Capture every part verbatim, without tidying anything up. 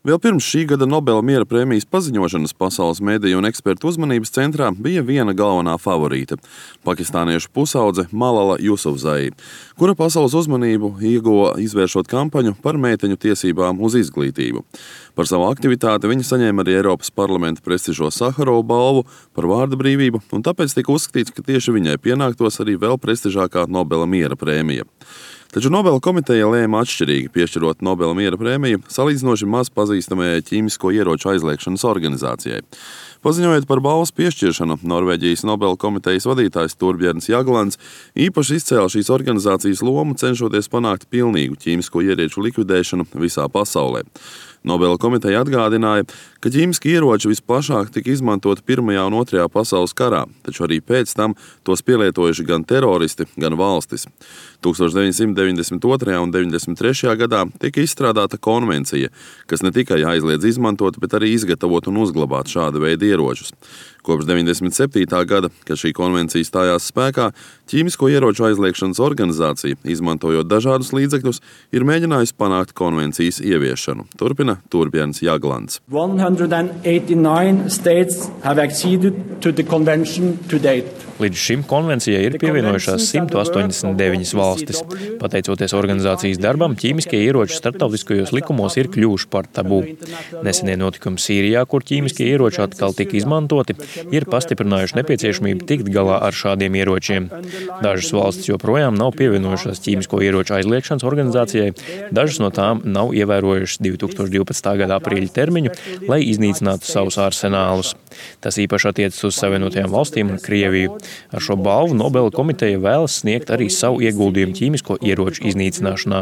Vēl pirms šī gada Nobela miera prēmijas paziņošanas pasaules mediju un ekspertu uzmanības centrā bija viena galvenā favorīte – pakistāniešu pusaudze Malala Jusufzai, kura pasaules uzmanību ieguva izvēršot kampaņu par meiteņu tiesībām uz izglītību. Par savu aktivitāti viņa saņēma arī Eiropas parlamenta prestižo Saharovu balvu par vārda brīvību, un tāpēc tika uzskatīts, ka tieši viņai pienāktos arī vēl prestižākā Nobela miera prēmija. Taču Nobela komiteja lēma atšķirīgi piešķirot Nobela miera prēmiju salīdzinoši maz pazīstamajai ķīmisko ieroču aizliegšanas organizācijai. Paziņojot par balvas piešķiršanu, Norvēģijas Nobela komitejas vadītājs Torbjørns Jaglands īpaši izcēla šīs organizācijas lomu, cenšoties panākt pilnīgu ķīmisko ieroču likvidēšanu visā pasaulē. Nobela komiteja atgādināja, ka ķīmiski ieroči visplašāk tika izmantoti Pirmajā un Otrajā pasaules karā, taču arī pēc tam tos pielietojuši gan teroristi, gan valstis. tūkstoš deviņsimt deviņdesmit otrajā un deviņdesmit trešajā gadā tika izstrādāta konvencija, kas ne tikai aizliedz izmantot, bet arī izgatavot un uzglabāt šāda veida ieročus. Kopš deviņdesmit septītā gada, kad šī konvencija stājās spēkā, ķīmisko ieroču aizliegšanas organizācija, izmantojot dažādus līdzekļus, ir mēģinājusi panākt konvencijas ieviešanu. Turpina Torbjørns Jaglands. one hundred eighty-nine states have acceded to the convention to date. Līdz šim konvencijai ir pievienojušās simt astoņdesmit deviņas valstis. Pateicoties organizācijas darbam, ķīmiskie ieroči starptautiskajos likumos ir kļuvuši par tabū. Nesenie notikumi Sīrijā, kur ķīmiskie ieroči atkal tika izmantoti, ir pastiprinājuši nepieciešamību tikt galā ar šādiem ieročiem. Dažas valstis joprojām nav pievienojušās ķīmisko ieroču aizliegšanas organizācijai, dažas no tām nav ievērojušas divi tūkstoši divpadsmitā gada aprīļa termiņu, lai iznīcinātu savus arsenālus. Tas īpaši attiecas uz Savienotajām valstīm un Krieviju. Ar šo balvu Nobela komiteja vēlas sniegt arī savu ieguldījumu ķīmisko ieroču iznīcināšanā.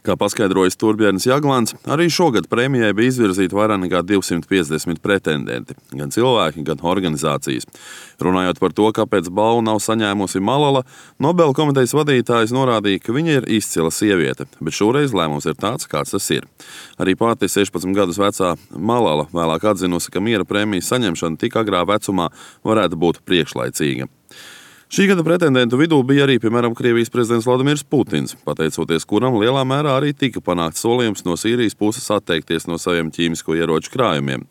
Kā paskaidrojas Torbjørns Jaglands, arī šogad prēmijai bija izvirzīti vairāk nekā divsimt piecdesmit pretendenti, gan cilvēki, gan organizācijas. Runājot par to, kāpēc balvu nav saņēmusi Malala, Nobela komitejas vadītājs norādīja, ka viņa ir izcila sieviete, bet šoreiz lēmums ir tāds, kāds tas ir. Arī pati sešpadsmit gadus vecā Malala vēlāk atzinusi, ka miera prēmijas saņemšana tik agrā vecumā varētu būt priekšlaicīga. Šī gada pretendentu vidū bija arī, piemēram, Krievijas prezidents Vladimirs Putins, pateicoties kuram lielā mērā arī tika panākts solījums no Sīrijas puses atteikties no saviem ķīmisko ieroču krājumiem.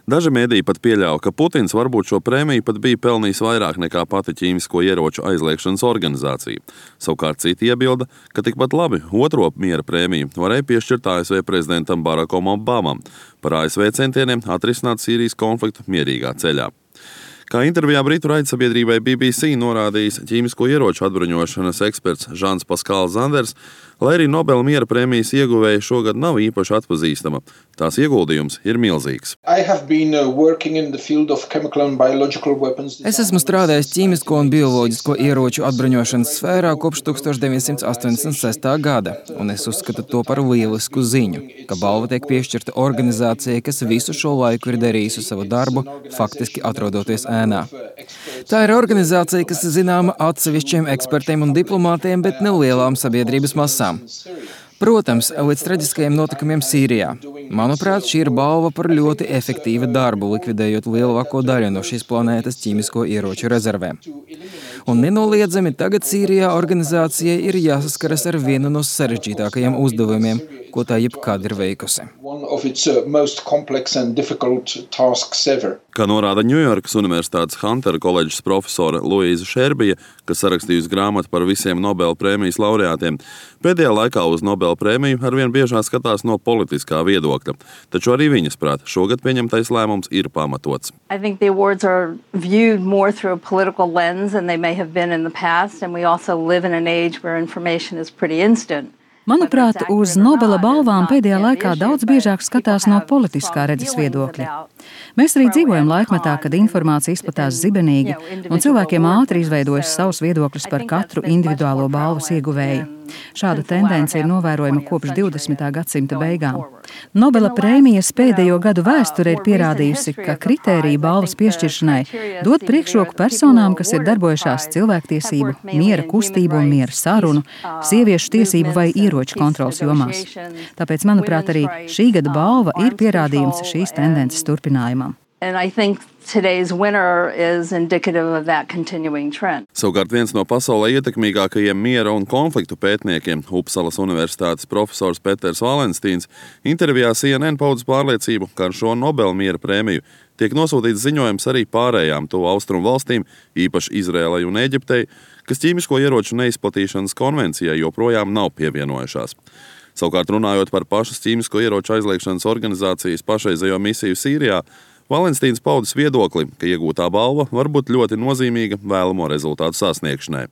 Daži mēdīji pat pieļāva, ka Putins varbūt šo prēmiju pat bija pelnījis vairāk nekā pati ķīmisko ieroču aizliegšanas organizācija. Savukārt citi iebilda, ka tikpat labi otro miera prēmiju varēja piešķirt A S V prezidentam Barakam Obamam par A S V centieniem atrisināt Sīrijas konfliktu mierīgā ceļā. Kā intervijā Britu raidsabiedrībai B B C norādījis ķīmisko ieroču atbruņošanas eksperts Žans Paskāls Zanders, lai arī Nobela miera prēmijas ieguvēja šogad nav īpaši atpazīstama, tās ieguldījums ir milzīgs. Es esmu strādājis ķīmisko un bioloģisko ieroču atbruņošanas sfērā kopš tūkstoš deviņsimt astoņdesmit sestā gada, un es uzskatu to par lielisku ziņu, ka balva tiek piešķirta organizācijai, kas visu šo laiku ir darījusi savu darbu, faktiski atrodoties ēnā. Tā ir organizācija, kas zināma atsevišķiem ekspertiem un diplomātiem, bet ne lielām sabiedrības masām. Protams, līdz traģiskajiem notikumiem Sīrijā. Manuprāt, šī ir balva par ļoti efektīvu darbu, likvidējot lielāko daļu no šīs planētas ķīmisko ieroču rezervēm. Un nenoliedzami tagad Sīrijā organizācijai ir jāsaskaras ar vienu no sarežģītākajiem uzdevumiem, ko tā jebkad ir veikusi. Kā norāda Ņujorkas Universitātes Huntera koledžas profesore Luīza Šerbija, kas sarakstījusi grāmatu par visiem Nobela prēmijas laureātiem, pēdējā laikā uz Nobela prēmiju arvien biežāk skatās no politiskā viedokļa. Taču arī viņas prāt, šogad pieņemtais lēmums ir pamatots. I think the awards are viewed more through a political lens than they may have been in the past, and we also live in an age where information is pretty instant. Manuprāt, uz Nobela balvām pēdējā laikā daudz biežāk skatās no politiskā redzes viedokļa. Mēs arī dzīvojam laikmetā, kad informācija izplatās zibenīgi, un cilvēkiem ātri izveidojas savus viedokļus par katru individuālo balvas ieguvēju. Šāda tendence ir novērojama kopš divdesmitā gadsimta beigām. Nobela prēmijas pēdējo gadu vēsture ir pierādījusi, ka kritērija balvas piešķiršanai dod priekšroku personām, kas ir darbojušās cilvēktiesību, miera kustību un miera sarunu, sieviešu tiesību vai ieroču kontrolas jomās. Tāpēc, manuprāt, arī šī gada balva ir pierādījums šīs tendences turpinājumam. And I think today's winner is indicative of that continuing trend. Savukārt viens no pasaulē ietekmīgākajiem miera un konfliktu pētniekiem, Upsalas universitātes profesors Peters Valenstīns, intervijā C N N paudz pārliecību, ka ar šo Nobela miera prēmiju tiek nosūtīts ziņojums arī pārējām tuvu austrumu valstīm, īpaši Izrēlai un Eģiptei, kas ķīmisko ieroču neizplatīšanas konvencijai joprojām nav pievienojušās. Savukārt runājot par pašas ķīmisko ieroču aizliegšanas organizācijas pašreizējo misiju Sīrijā, Valenstīns paudis viedokli, ka iegūtā balva var būt ļoti nozīmīga vēlamo rezultātu sasniegšanai.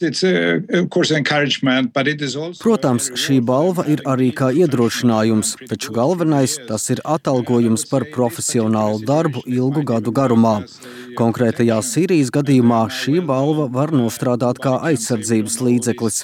Protams, šī balva ir arī kā iedrošinājums, taču galvenais tas ir atalgojums par profesionālu darbu ilgu gadu garumā. Konkrētajā Sīrijas gadījumā šī balva var nostrādāt kā aizsardzības līdzeklis.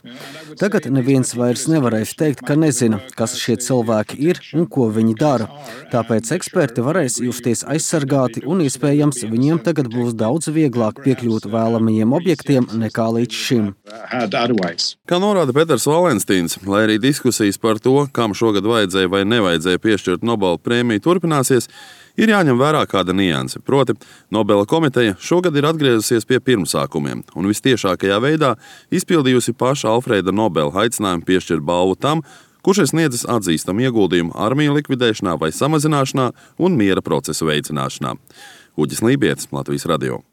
Tagad neviens vairs nevarēs teikt, ka nezina, kas šie cilvēki ir un ko viņi dara. Tāpēc eksperti varēs justies aizsargāti un iespējams viņiem tagad būs daudz vieglāk piekļūt vēlamajiem objektiem nekā līdz šim. Kā norāda Peters Valenstīns, lai arī diskusijas par to, kam šogad vajadzēja vai nevajadzēja piešķirt Nobela prēmiju turpināsies, ir jāņem vērā kāda nianse. Proti, Nobela komiteja šogad ir atgriezusies pie pirmsākumiem un vistiešākajā veidā izpildījusi paša Alfrēda Nobela aicinājumu piešķirt balvu tam, kurš ir sniedzis atzīstamu ieguldījumu armiju likvidēšanā vai samazināšanā un miera procesu veicināšanā. Uģis Lībietis, Latvijas radio.